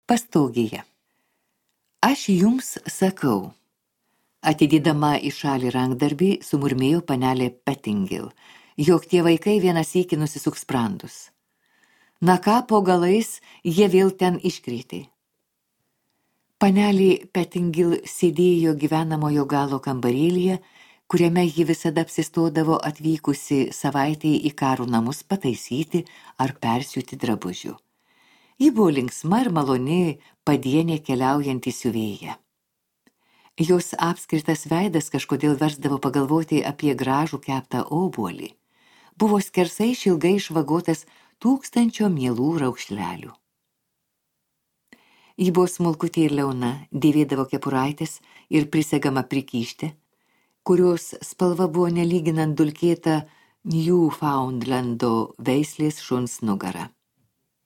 Pastogėje. Aš jums sakau, atidėdama į šalį rankdarbį, sumurmėjo panelė Pettingil, jog tie vaikai vienas sykį nusisuks sprandus. Na ką, po galais jie vėl ten iškrėtė. Panelė Pettingil sėdėjo gyvenamojo galo kambarėlyje, kuriame ji visada apsistodavo atvykusi savaitei į Karų namus pataisyti ar persiūti drabužių. Ji buvo linksma ir maloni padienė keliaujantį siuvėją. Jos apskritas veidas kažkodėl versdavo pagalvoti apie gražų keptą obuolį. Buvo skersai išilgai išvagotas 1000 mielų raukšlelių. Ji buvo smulkutė ir liauna, dėvėdavo kepuraitės ir prisegama prikyštė, kurios spalva buvo nelyginant dulkėta Newfoundlando veislės šuns nugara.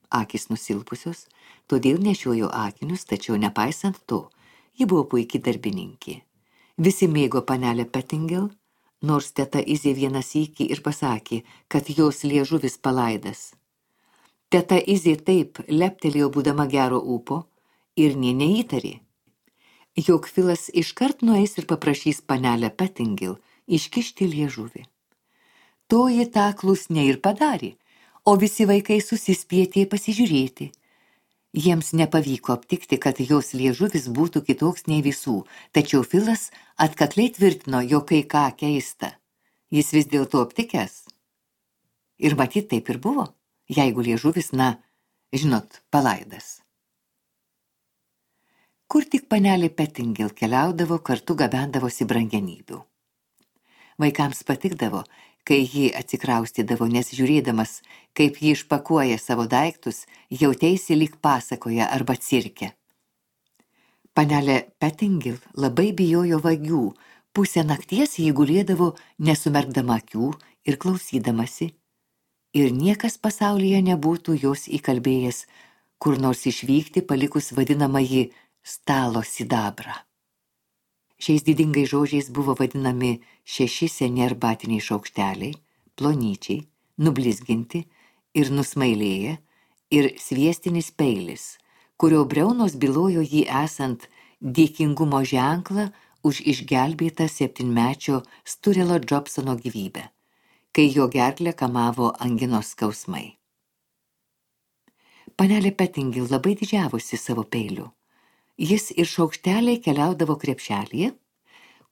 Akys nusilpusios, todėl nešiojo akinius, tačiau nepaisant to, ji buvo puikiai darbininkė. Visi mėgo panelę Pettingil, nors teta Izė vieną sykį ir pasakė, kad jos liežuvis palaidas. Teta Izė taip leptelėjo būdama gero ūpo ir nė neįtarė, jog Filas iškart nueis ir paprašys panelę Pettingil iškišti liežuvį. To ji tą klusniai ir padarė, o visi vaikai susispietė pasižiūrėti. Jiems nepavyko aptikti, kad jos liežuvis būtų kitoks nei visų, tačiau Filas atkakliai tvirtino, jog kai ką keista. Jis vis dėlto aptikęs. Ir matyt taip ir buvo, jeigu liežuvis, palaidas. Kur tik panelė Pettingil keliaudavo, kartu gabendavosi brangenybių. Vaikams patikdavo, kai ji atsikraustydavo, nes žiūrėdamas, kaip ji išpakuoja savo daiktus, jautėsi lyg pasakoje arba cirke. Panelė Pettingil labai bijojo vagių, pusę nakties ji gulėdavo nesumerkdama akių ir klausydamasi, ir niekas pasaulyje nebūtų jos įkalbėjęs kur nors išvykti, palikus vadinamąjį stalo sidabrą. Šiais didingai žodžiais buvo vadinami 6 seni arbatiniai šaukšteliai, plonyčiai, nublizginti ir nusmailėję, ir sviestinis peilis, kurio briaunos bylojo jį esant dėkingumo ženklą už išgelbėtą 7-mečio Sturelo Jobsono gyvybę, kai jo gerklę kamavo anginos skausmai. Panelė Pettingil labai didžiavosi savo peiliu. Jis ir šaukšteliai keliaudavo krepšelyje,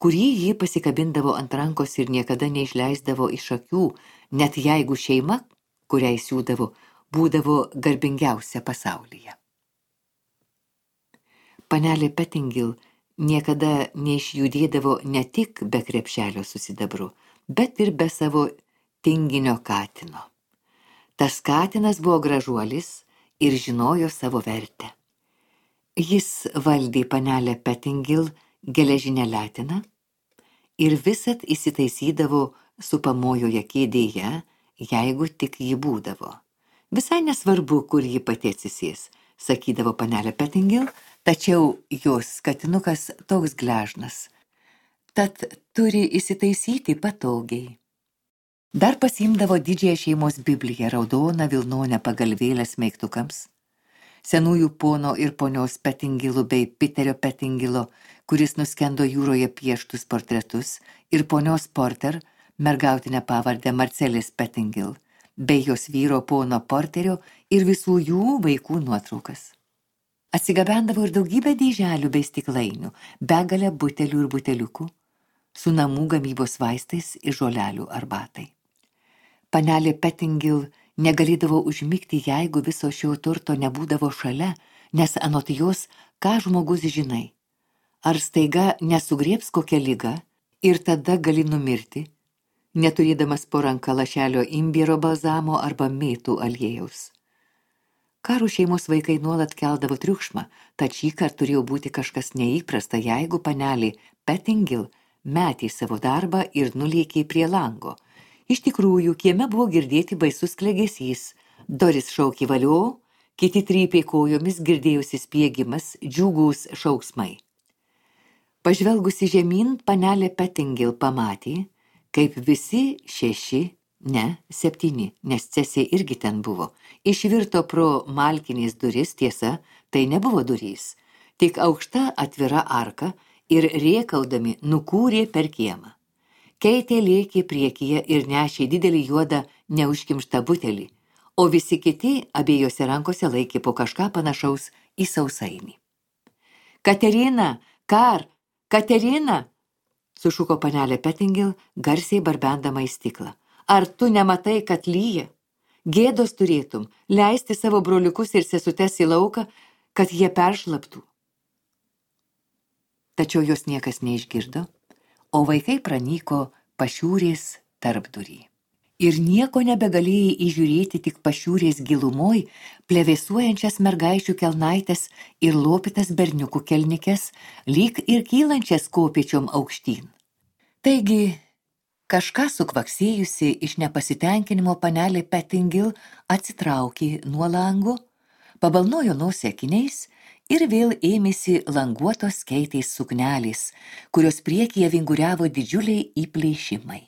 kurį jį pasikabindavo ant rankos ir niekada neišleisdavo iš akių, net jeigu šeima, kuriai siūdavo, būdavo garbingiausia pasaulyje. Panelė Pettingil niekada neišjudėdavo ne tik be krepšelio su sidabru, bet ir be savo tinginio katino. Tas katinas buvo gražuolis ir žinojo savo vertę. Jis valdė panelę Pettingil geležinę letiną ir visad įsitaisydavo supamojoje kėdėje, jeigu tik ji būdavo. Visai nesvarbu, kur ji pati atsisės, sakydavo panelė Pettingil, tačiau jos katinukas toks gležnas, tad turi įsitaisyti patogiai. Dar pasiimdavo didžiąją šeimos Bibliją, raudoną vilnonę pagalvėlę smeigtukams, senųjų pono ir ponios Pettingilų bei Piterio Pettingilo, kuris nuskendo jūroje pieštus portretus, ir ponios Porter, mergautinę pavardę Marcelis Pettingil, bei jos vyro pono Porterio ir visų jų vaikų nuotraukas. Atsigabendavo ir daugybę dėželių bei stiklainių, begalę butelių ir buteliukų, su namų gamybos vaistais ir žolelių arbatai. Panelė Pettingil negalėdavo užmigti, jeigu viso šio turto nebūdavo šalia, nes anot jos, ką žmogus žinai. Ar staiga nesugriebs kokią ligą ir tada gali numirti, neturėdamas po ranka lašelio imbiero balzamo arba mėtų aliejaus. Karų šeimos vaikai nuolat keldavo triukšmą, tad šįkart turėjo būti kažkas neįprasta, jeigu panelė Pettingil metė savo darbą ir nulėkė prie lango. Iš tikrųjų, kieme buvo girdėti baisus klegesys, durys šaukė valio, kiti trypė kojomis, girdėjosi spiegimas, džiugūs šauksmai. Pažvelgusi žemyn, panelė Pettingil pamatė, kaip visi 6 Ne, 7, nes Cesė irgi ten buvo. Išvirto pro malkinės duris, tiesa, tai nebuvo durys. Tik aukšta atvira arka ir rėkaudami nukūrė per kiemą. Keitė lėkė priekyje ir nešė didelį juodą neužkimštą butelį, o visi kiti abiejose rankose laikė po kažką panašaus į sausainį. Katerina, Katerina, sušuko panelė Pettingil, garsiai barbendama į stiklą. Ar tu nematai, kad lyja? Gėdos turėtum leisti savo broliukus ir sesutes į lauką, kad jie peršlaptų. Tačiau jos niekas neišgirdo, o vaikai pranyko pašiūrės tarpdurį. Ir nieko nebegalėjai įžiūrėti tik pašiūrės gilumoj, plevėsuojančias mergaičių kelnaitės ir lopytas berniukų kelnikes, lyg ir kylančias kopėčiom aukštyn. Taigi, kažką sukvaksėjusi iš nepasitenkinimo panelė Pettingil atsitraukė nuo lango, pabalnojo nosį akiniais ir vėl ėmėsi languotos Keitės suknelės, kurios priekyje vinguriavo didžiuliai įplėšimai.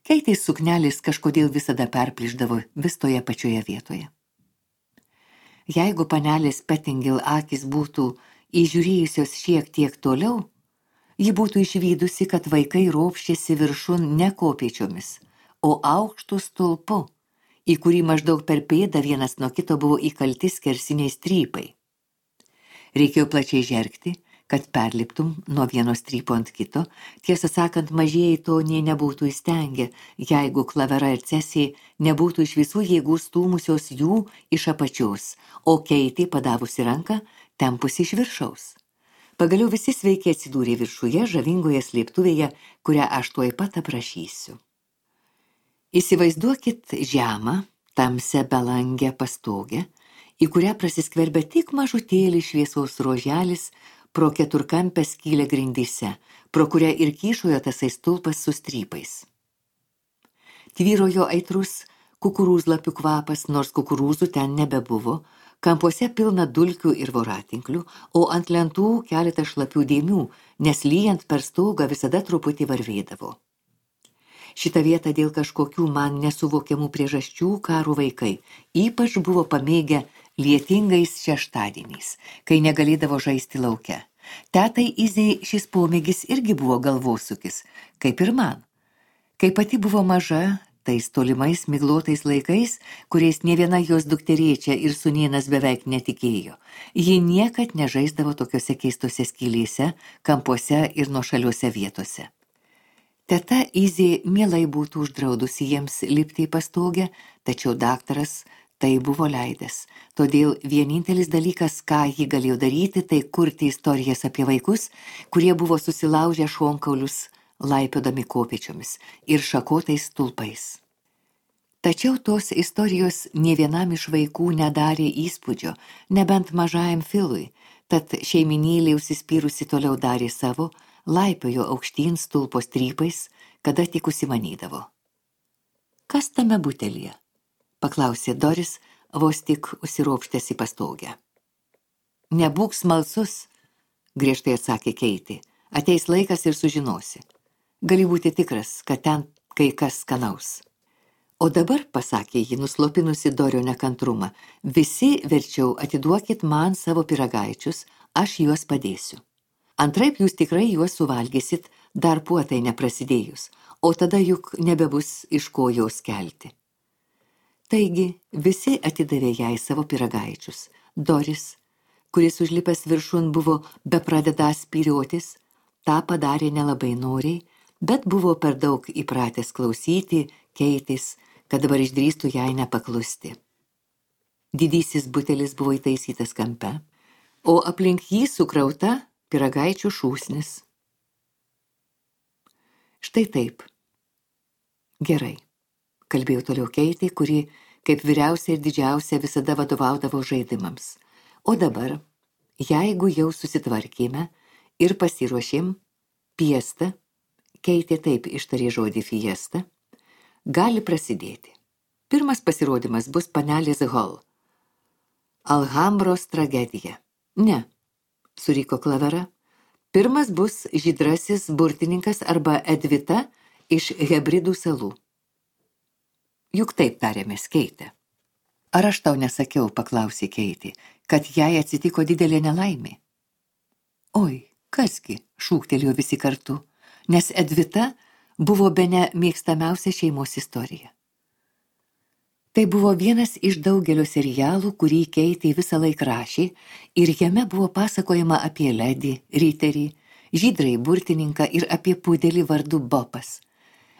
Keitės suknelės kažkodėl visada perplyšdavo vis toje pačioje vietoje. Jeigu panelės Pettingil akys būtų įžiūrėjusios šiek tiek toliau, ji būtų išvydusi, kad vaikai ropščiasi viršun ne kopėčiomis, o aukštų stulpu, į kurį maždaug per pėdą vienas nuo kito buvo įkalti skersiniai strypai. Reikėjo plačiai žergti, kad perliptum nuo vieno strypo ant kito, tiesą sakant, mažieji to nė nebūtų įstengę, jeigu Klavera ir Cesė nebūtų iš visų jėgų stūmusios jų iš apačios, o Keitė padavusi ranką, tempusi iš viršaus. Pagaliau visi sveiki atsidūrė viršuje žavingoje slėptuvėje, kurią aš tuoj pat aprašysiu. Įsivaizduokit žemą, tamsią belangę pastogę, į kurią prasiskverbia tik mažutėlis šviesos roželis pro keturkampę skylę grindyse, pro kurią ir kyšojo tasai stulpas su strypais. Tvyrojo aitrus kukurūzlapių kvapas, nors kukurūzų ten nebebuvo, kampuose pilna dulkių ir voratinklių, o ant lentų keletą šlapių dėmių, nes lyjant per stogą visada truputį varvėdavo. Šitą vietą dėl kažkokių man nesuvokiamų priežasčių karo vaikai ypač buvo pamėgę lietingais šeštadieniais, kai negalėdavo žaisti lauke. Tetai Izei šis pomėgis irgi buvo galvosūkis, kaip ir man. Kai pati buvo maža, tais tolimais miglotais laikais, kuriais nė viena jos dukterėčia ir sūnėnas beveik netikėjo, ji niekad nežaisdavo tokiose keistose skylėse, kampuose ir nuošaliuose vietose. Teta Izė mielai būtų uždraudusi jiems lipti į pastogę, tačiau daktaras tai buvo leidęs. Todėl vienintelis dalykas, ką ji galėjo daryti, tai kurti istorijas apie vaikus, kurie buvo susilaužę šonkaulius, laipiodami kopėčiomis ir šakotais stulpais. Tačiau tos istorijos nė vienam iš vaikų nedarė įspūdžio, nebent mažajam Filui, tad šeiminėlė užsispyrusi toliau darė savo, laipiojo aukštyn stulpo strypais, kada tik užsimanydavo. Kas tame butelyje? Paklausė Doris, vos tik užsiropštęs į pastogę. Nebūk smalsus, griežtai atsakė Keitė. Ateis laikas ir sužinosi. Gali būti tikras, kad ten kai kas skanaus. O dabar, pasakė ji, nuslopinusi Dorio nekantrumą, visi verčiau atiduokit man savo pyragaičius, aš juos padėsiu. Antraip jūs tikrai juos suvalgysit, dar puotai neprasidėjus, o tada juk nebebus iš ko jos kelti. Taigi visi atidavė jai savo pyragaičius. Doris, kuris užlipęs viršun buvo bepradedąs spyriotis, tą padarė nelabai noriai, bet buvo per daug įpratęs klausyti Keitės, kad dabar išdrįstų jai nepaklusti. Didysis butelis buvo įtaisytas kampe, o aplink jį sukrauta pyragaičių šūsnis. Štai taip. Gerai, kalbėjo toliau Keitė, kuri, kaip vyriausia ir didžiausia, visada vadovaudavo žaidimams. O dabar, jeigu jau susitvarkėme ir pasiruošėm, piesta, Keitė taip ištarė žodį fiesta, gali prasidėti. Pirmas pasirodymas bus panelės Hall. Alhambros tragedija. Ne, suriko Klavera. Pirmas bus žydrasis burtininkas arba Edvita iš Hebridų salų. juk taip tarėmės, Keitė. Ar aš tau nesakiau, paklausė Keitė, kad jai atsitiko didelė nelaimė? Oi, kasgi, šūktelėjo visi kartu, nes Edvita buvo bene mėgstamiausia šeimos istorija. Tai buvo vienas iš daugelio serialų, kurį Keitė visą laiką rašė, ir jame buvo pasakojama apie ledį, riterį, žydrąjį burtininką ir apie pudelį vardu Bopas.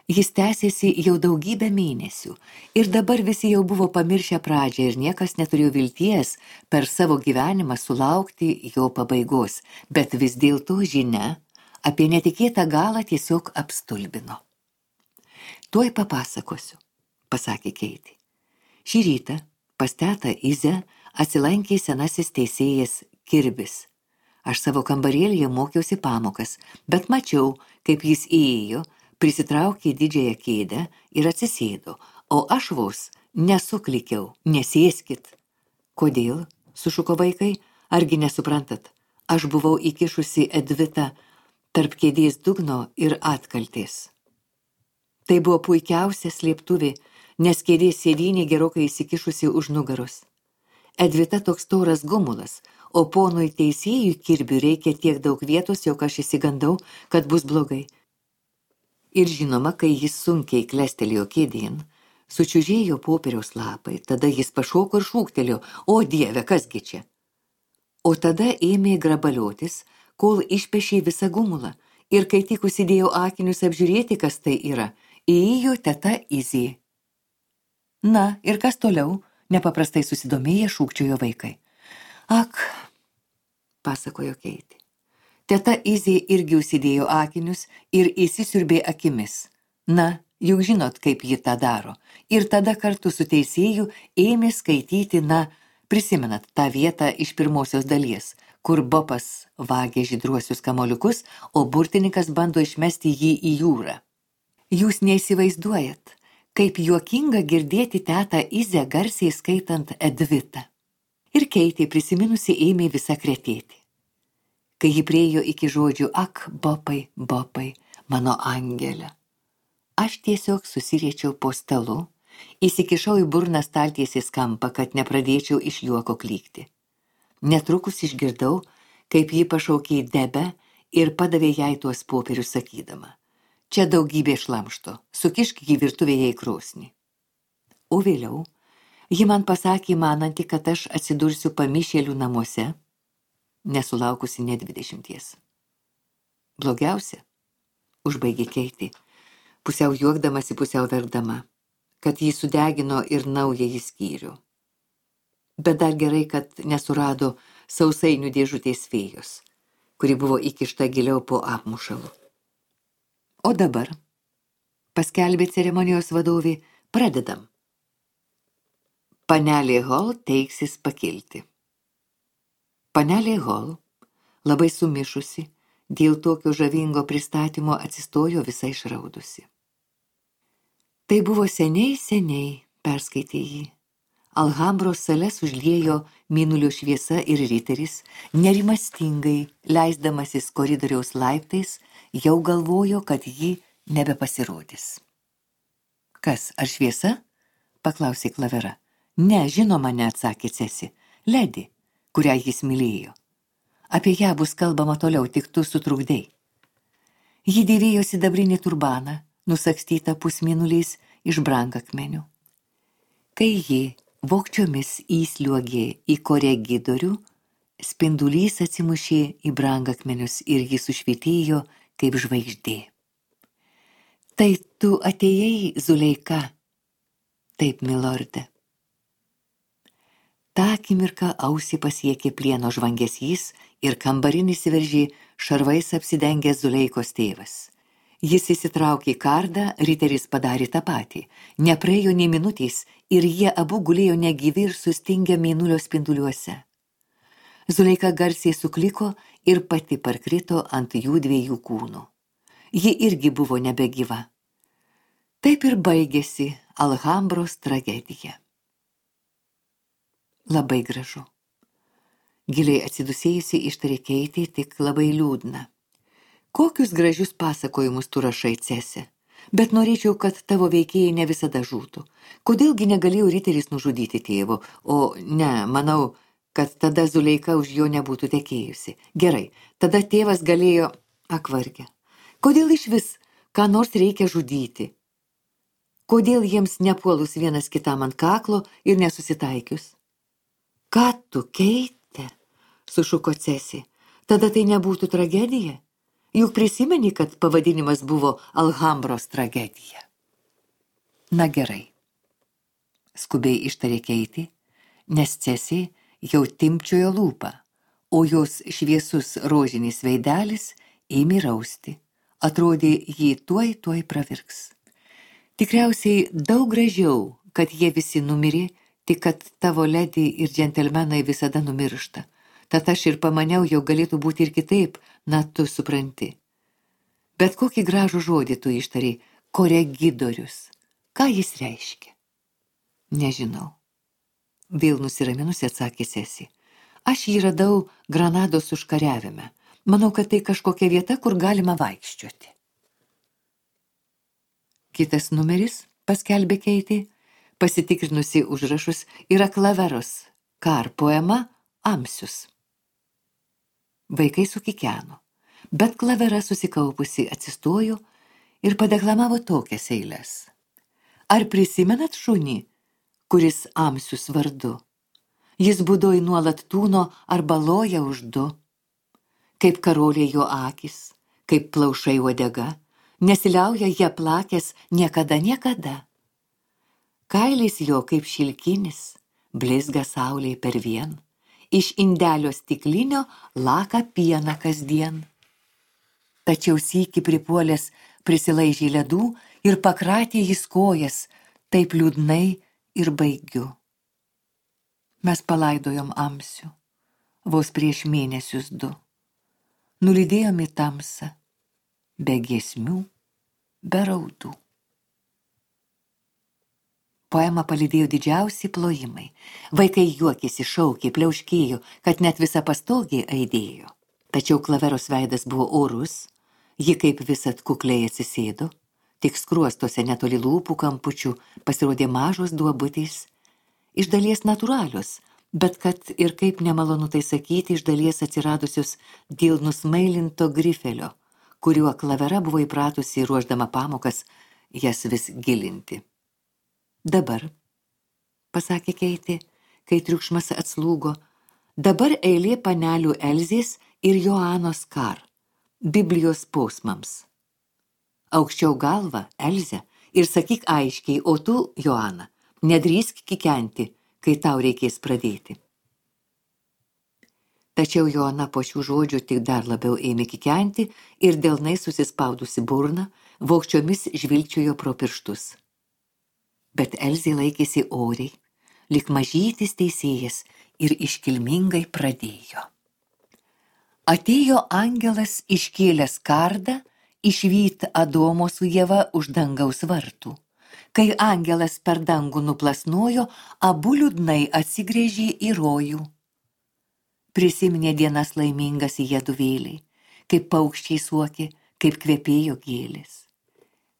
Jis tęsėsi jau daugybę mėnesių ir dabar visi jau buvo pamiršę pradžią ir niekas neturėjo vilties per savo gyvenimą sulaukti jo pabaigos, bet vis dėlto žinia apie netikėtą galą tiesiog apstulbino. Tuoj papasakosiu, pasakė Keitė. Šį rytą pas tetą Izę atsilankė senasis teisėjas Kirbis. Aš savo kambarėlyje mokiausi pamokas, bet mačiau, kaip jis įėjo, prisitraukė didžiąją kėdę ir atsisėdo, o aš vos nesuklikiau, nesėskit. Kodėl, sušuko vaikai, argi nesuprantat, aš buvau įkišusi Edvitą tarp kėdės dugno ir atkaltės. Tai buvo puikiausia slėptuvė, nes kėdės sėdynė gerokai įsikišusi už nugaros. Edvita toks tauras gumulas, o ponui teisėjui Kirbiui reikia tiek daug vietos, jog aš įsigandau, kad bus blogai. Ir žinoma, kai jis sunkiai klestelėjo kėdėn, sučiužėjo popieriaus lapai, tada jis pašoko ir šūktelėjo, o Dieve, kasgi čia? O tada ėmė grabaliotis, kol išpešė visą gumulą, ir kai tik užsidėjo akinius apžiūrėti, kas tai yra, įėjo teta Izė. Na, ir kas toliau? Nepaprastai susidomėję šūkčiojo vaikai. Ak, pasakojo Keitė. Teta Izė irgi užsidėjo akinius ir įsisiurbė akimis. Na, juk žinot, kaip ji tą daro. Ir tada kartu su teisėju ėmė skaityti, prisimenat tą vietą iš pirmosios dalies, kur Bopas vagė žydruosius kamoliukus, o burtininkas bando išmesti jį į jūrą. Jūs neįsivaizduojat, kaip juokinga girdėti tetą Izę garsiai skaitant Edvitą. Ir Keitė prisiminusi ėmė visą kretėti. Kai ji priėjo iki žodžių, ak, Bopai, Bopai, mano angelė. Aš tiesiog susiriečiau po stalu, įsikišau į burną staltiesės kampą, kad nepradėčiau iš juoko klykti. Netrukus išgirdau, kaip ji pašaukė Debę ir padavė jai tuos popierius sakydama. Čia daugybė šlamšto, sukišk jį virtuvėje į krosnį. O vėliau ji man pasakė mananti, kad aš atsidursiu pamišėlių namuose, nesulaukusi net 20. Blogiausia, užbaigė Keitė, pusiau juokdamasi, pusiau verkdama, kad jį sudegino ir naująjį skyrių. Bet dar gerai, kad nesurado sausainių dėžutės fėjos, kuri buvo įkišta giliau po apmušalu. O dabar, paskelbė ceremonijos vadovė, pradedam. Panelė Hall teiksis pakilti. Panelė Hall, labai sumišusi, dėl tokio žavingo pristatymo atsistojo visai išraudusi. Tai buvo seniai, perskaitė jį. Alhambros sales užliejo mėnulio šviesa ir riteris, nerimastingai, leisdamasis koridoriaus laiptais, jau galvojo, kad ji nebepasirodys. Kas, ar šviesa? Paklausė Klavera. Ne, žinoma, neatsakė Cesi. Ledi, kurią jis mylėjo. Apie ją bus kalbama toliau, tik tu sutrukdei. Ji dėvėjo sidabrinį turbaną, nusakstytą pusmėnuliais iš brangakmenių. Kai ji vogčiomis įsliuogė į koregidorių, spindulys atsimušė į brangakmenius ir ji sušvietėjo kaip žvaigždė. Tai tu atėjai, Zuleika? Taip, milorde. Ta akimirka ausį pasiekė plieno žvangesys ir kambarin įsiveržė šarvais apsidengęs Zuleikos tėvas. Jis įsitraukė kardą, riteris padarė tą patį. Nepraėjo nei minutės ir jie abu gulėjo negyvi ir sustingę mėnulio spinduliuose. Zuleika garsiai sukliko ir pati parkrito ant jų dviejų kūnų. Ji irgi buvo nebegyva. Taip ir baigėsi Alhambros tragedija. Labai gražu. Giliai atsidusėjusi ištarė Keitė, tik labai liūdna. Kokius gražius pasakojimus tu rašai, Cese? Bet norėčiau, kad tavo veikėjai ne visada žūtų. Kodėlgi negalėjo riteris nužudyti tėvo, o ne, manau, kad tada Zuleika už jo nebūtų tekėjusi. Gerai, tada tėvas galėjo akvargę. Kodėl iš vis ką nors reikia žudyti? Kodėl jiems nepuolus vienas kitam ant kaklo ir nesusitaikius? Ką tu, Keite? Sušuko Cesi. Tada tai nebūtų tragedija? Juk prisimeni, kad pavadinimas buvo Alhambros tragedija. Na gerai, skubiai ištarė Keitė, nes Cesi jau timpčiojo lūpą, o jos šviesus rožinis veidelis ėmė rausti. Atrodė, jį tuoj pravirks. Tikriausiai daug gražiau, kad jie visi numirė, tik kad tavo ledi ir džentelmenai visada numiršta. Tad aš ir pamaniau, jau galėtų būti ir kitaip, na tu supranti. Bet kokį gražų žodį tu ištari, koregidorius. Ką jis reiškia? Nežinau. Vėl nusiraminusi atsakė Cesi. Aš jį radau Granados užkariavime. Manau, kad tai kažkokia vieta, kur galima vaikščioti. Kitas numeris, paskelbė Keitė, pasitikrinusi užrašus, yra Klaveros, Kar poema Amsius. Vaikai sukikeno, bet Klavera susikaupusi atsistojo ir padeklamavo tokias eiles. Ar prisimenat šunį, kuris Amsius vardu? Jis būdoj nuolat tūno arba loja už du. Kaip karoliai jo akis, kaip plaušai uodega, nesiliauja jie plakęs niekada. Kailis jo kaip šilkinis, blizga saulėj per vien. Iš indelio stiklinio laka pieną kasdien. Tačiau sykį pripuolęs prisilaižė ledų ir pakratė jis kojas, taip liūdnai ir baigiu. Mes palaidojom Amsių, vos prieš mėnesius 2. Nulydėjom į tamsą, be giesmių, be raudų. Poemą palydėjo didžiausi plojimai. Vaikai juokėsi, šaukė, pliauškėjo, kad net visa pastogė aidėjo. Tačiau Klaveros veidas buvo orus, ji kaip visad kukliai atsisėdo, tik skruostuose netoli lūpų kampučių pasirodė mažos duobutės, iš dalies natūralios, bet kad ir kaip nemalonu tai sakyti, iš dalies atsiradusios dėl nusmailinto grifelio, kuriuo Klavera buvo įpratusi ruošdama pamokas jas vis gilinti. Dabar, pasakė Keitė, kai triukšmas atslūgo, dabar eilė panelių Elzės ir Joanos Kar, Biblijos posmams. Aukščiau galvą, Elze, ir sakyk aiškiai, o tu, Joana, nedrįsk kikenti, kai tau reikės pradėti. Tačiau Joana po šių žodžių tik dar labiau ėmė kikenti ir delnai susispaudusi burną, vogčiomis žvilgčiojo pro pirštus. Bet Elzė laikėsi oriai, lyg mažytis teisėjas ir iškilmingai pradėjo. Atėjo angelas iškėlęs kardą, išvyt Adomo su Ieva už dangaus vartų. Kai angelas per dangų nuplasnojo, abu liūdnai atsigręžė į rojų. Prisiminė dienas laimingas jiedu vėliai, kaip paukščiai suokė, kaip kvepėjo gėlės.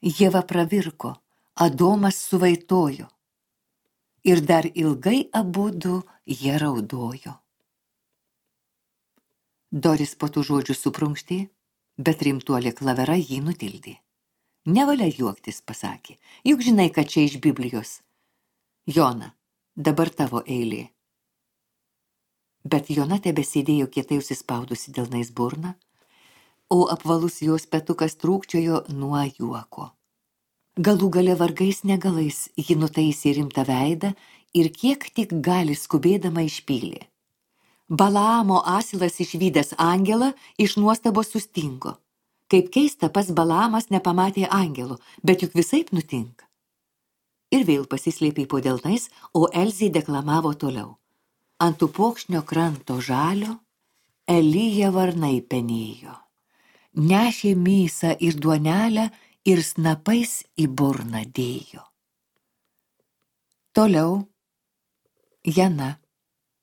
Ieva pravirko, Adomas suvaitojo ir dar ilgai abudu jie raudojo. Doris po tų žodžių suprunkštė, bet rimtuolė Klavera jį nutildė. Nevalia juoktis, pasakė, juk žinai, kad čia iš Biblijos. Jona, dabar tavo eilė. Bet Jona tebesėdėjo kietai užsispaudusi delnais burną, o apvalus jos petukas trūkčiojo nuo juoko. Galų gale vargais negalais ji nutaisė rimtą veidą ir kiek tik gali skubėdama išpylė. Balaamo asilas išvydęs angelą iš nuostabos sustingo. Kaip keista, pats Balaamas nepamatė angelo, bet juk visaip nutinka. Ir vėl pasislėpė po delnais, o Elzė deklamavo toliau. Ant upokšnio kranto žalio Elija varnai penėjo. Nešė mėsą ir duonelę ir snapais į burną dėjo. Toliau Jana,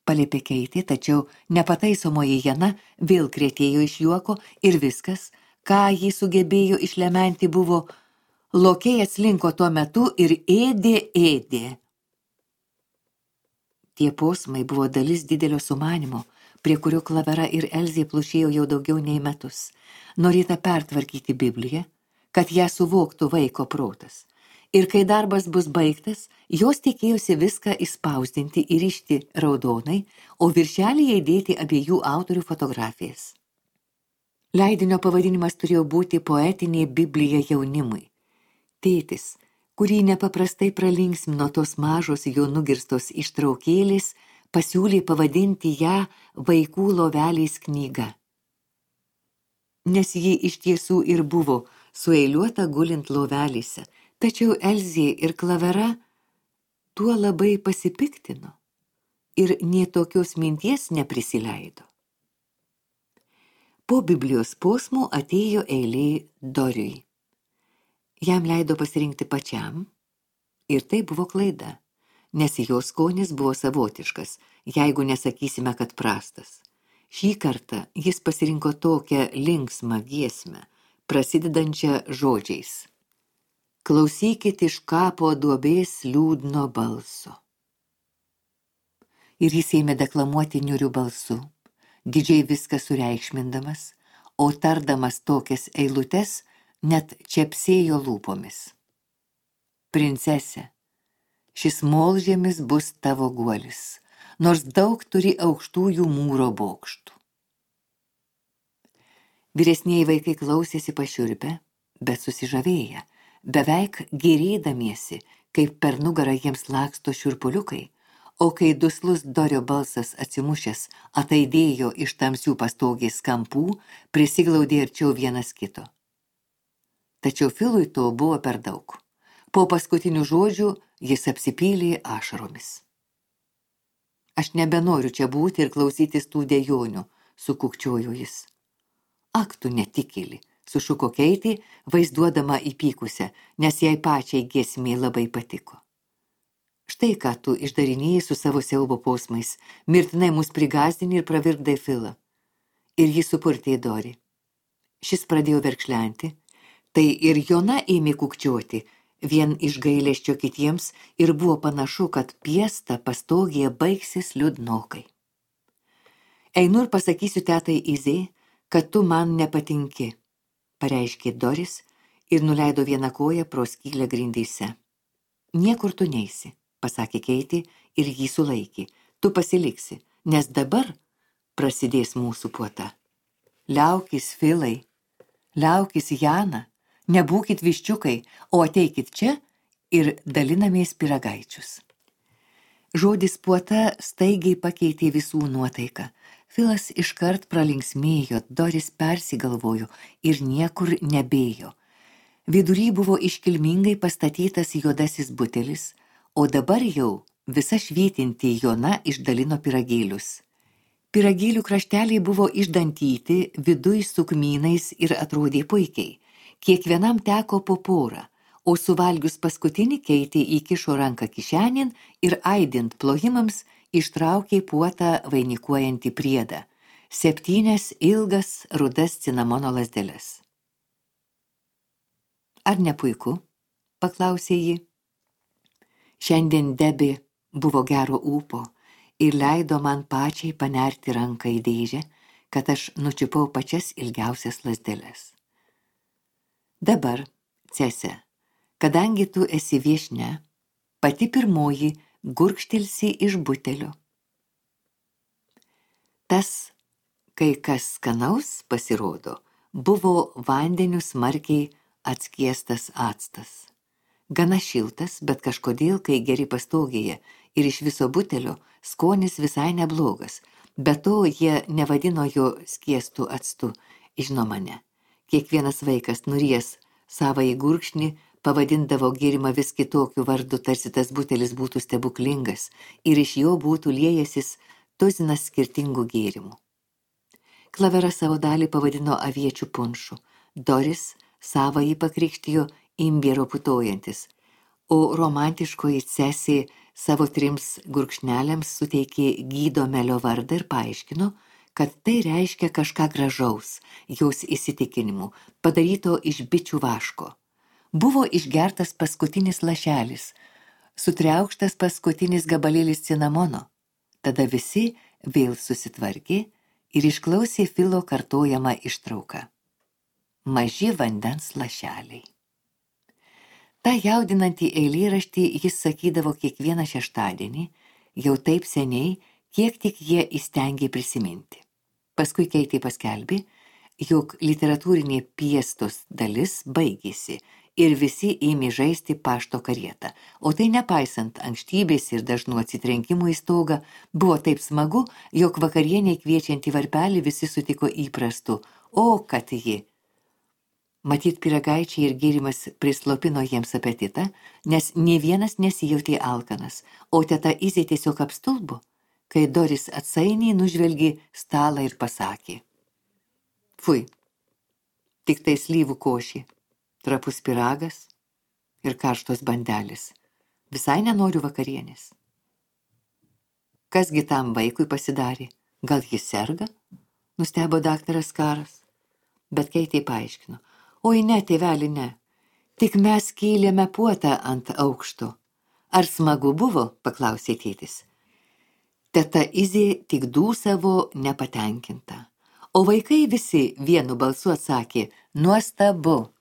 paliepė Keitė, tačiau nepataisomoji Jana vėl krėtėjo iš juoko ir viskas, ką ji sugebėjo išlementi, buvo Lokiai atslinko tuo metu ir ėdė. Tie posmai buvo dalis didelio sumanimo, prie kurio Klavera ir Elzė plušėjo jau daugiau nei metus. Norėta pertvarkyti Bibliją, kad ją suvoktų vaiko protas. Ir kai darbas bus baigtas, jos tikėjosi viską įspausdinti ir rišti raudonai, o viršelyje įdėti abiejų autorių fotografijas. Leidinio pavadinimas turėjo būti Poetinė Biblija jaunimui. Tėtis, kurį nepaprastai pralinksmino tos mažos jo nugirstos ištraukėlės, pasiūlė pavadinti ją Vaikų lovelės knyga. Nes ji iš tiesų ir buvo sueiliuota gulint lovelėse, tačiau Elzė ir Klavera tuo labai pasipiktino ir nė tokios minties neprisileido. Po Biblijos posmų atėjo eilė Doriui. Jam leido pasirinkti pačiam ir tai buvo klaida, nes jo skonis buvo savotiškas, jeigu nesakysime, kad prastas. Šį kartą jis pasirinko tokią linksmą giesmę, prasidedančią žodžiais. Klausykit iš kapo duobės liūdno balso. Ir jis ėmė deklamuoti niūriu balsu, didžiai viską sureikšmindamas, o tardamas tokias eilutes, net čepsėjo lūpomis. Princese, šis molžemis bus tavo guolis, nors daug turi aukštųjų mūro bokštų. Vyresnieji vaikai klausėsi pašiurpę, bet susižavėję, beveik gėrėdamiesi, kaip per nugarą jiems laksto šiurpuliukai, o kai duslus Dorio balsas atsimušęs ataidėjo iš tamsių pastogės kampų, prisiglaudė arčiau vienas kito. Tačiau Filui to buvo per daug. Po paskutinių žodžių jis apsipylė ašaromis. Aš nebenoriu čia būti ir klausytis tų dejonių, sukukčiojo jis. Ak, tu netikėli, sušuko Keitė, vaizduodama įpykusią, nes jai pačiai giesmė labai patiko. Štai ką tu išdarinėjai su savo siaubo posmais, mirtinai mus prigazdini ir pravirkdai Filą. Ir jis supurtė Dorį. Šis pradėjo verkšlenti, tai ir Jona ėmė kukčioti, vien iš gailesčio kitiems ir buvo panašu, kad piesta pastogėje baigsis liūdnokai. Einu ir pasakysiu tetai Izė, kad tu man nepatinki, pareiškė Doris ir nuleido vieną koją pro skylę grindyse. Niekur tu neisi, pasakė Keitė ir jį sulaikė. Tu pasiliksi, nes dabar prasidės mūsų puota. Liaukis, Filai, liaukis, Jana, nebūkit viščiukai, o ateikit čia ir dalinamės pyragaičius. Žodis puota staigiai pakeitė visų nuotaiką. Filas iškart pralinksmėjo, Doris persigalvojo ir niekur nebėjo. Vidury buvo iškilmingai pastatytas juodasis butelis, o dabar jau visa švytinti Jona išdalino pyragėlius. Pyragėlių krašteliai buvo išdantyti, viduj su kmynais ir atrodė puikiai. Kiekvienam teko po porą, o suvalgius paskutinį Keitė įkišo ranką kišenin ir aidint plojimams ištraukė puotą vainikuojantį priedą, 7 ilgas rudas cinamono lazdeles. Ar ne puiku? Paklausė ji. Šiandien Debi buvo gero ūpo ir leido man pačiai panerti ranką į dėžę, kad aš nučiupau pačias ilgiausias lazdeles. Dabar, Cese, kadangi tu esi viešnia, pati pirmoji gurkštelsi iš butelio. Tas, kai kas skanaus pasirodo, buvo vandeniu smarkiai atskiestas actas. Gana šiltas, bet kažkodėl, kai geri pastogėje ir iš viso butelio, skonis visai neblogas, be to jie nevadino jo skiestu actu, žinoma ne. Kiekvienas vaikas nuries savąjį gurkšnį pavadindavo gėrimą vis kitokiu vardu, tarsi tas butelis būtų stebuklingas ir iš jo būtų liejasis tuzinas skirtingų gėrimų. Klavera savo dalį pavadino aviečių punšu, Doris savąjį pakrikštijo imbiero putojantis, o romantiškoji Cesė savo 3 gurkšneliams suteikė Gydomelio vardą ir paaiškino, kad tai reiškia kažką gražaus, jos įsitikinimu, padaryto iš bičių vaško. Buvo išgertas paskutinis lašelis, sutriaukštas paskutinis gabalėlis cinamono. Tada visi vėl susitvarkė ir išklausė Filo kartojamą ištrauką. Maži vandens lašeliai. Ta jaudinantį eilėraštį jis sakydavo kiekvieną šeštadienį, jau taip seniai, kiek tik jie įstengė prisiminti. Paskui Keitė paskelbė, jog literatūrinė piestos dalis baigėsi ir visi ėmė žaisti pašto karietą. O tai nepaisant ankštybės ir dažnų atsitrenkimų į stogą, buvo taip smagu, jog vakarieniai kviečiantį varpelį visi sutiko įprastu, o kad ji. Matyt, pyragaičiai ir gėrimas prislopino jiems apetitą, nes nė vienas nesijautė alkanas, o teta Izė tiesiog apstulbo, kai Doris atsainiai nužvelgė stalą ir pasakė: Fui, tik tai slyvų košė, trapus pyragas ir karštos bandelės. Visai nenoriu vakarienės. Kasgi tam vaikui pasidarė? Gal jis serga? Nustebo daktaras Karas. Bet Keitė paaiškino: Oi ne, tėveli, ne. Tik mes kėlėme puotą ant aukšto. Ar smagu buvo? Paklausė tėtis. Teta Izė tik dūsavo nepatenkinta. O vaikai visi vienu balsu atsakė: Nuostabu.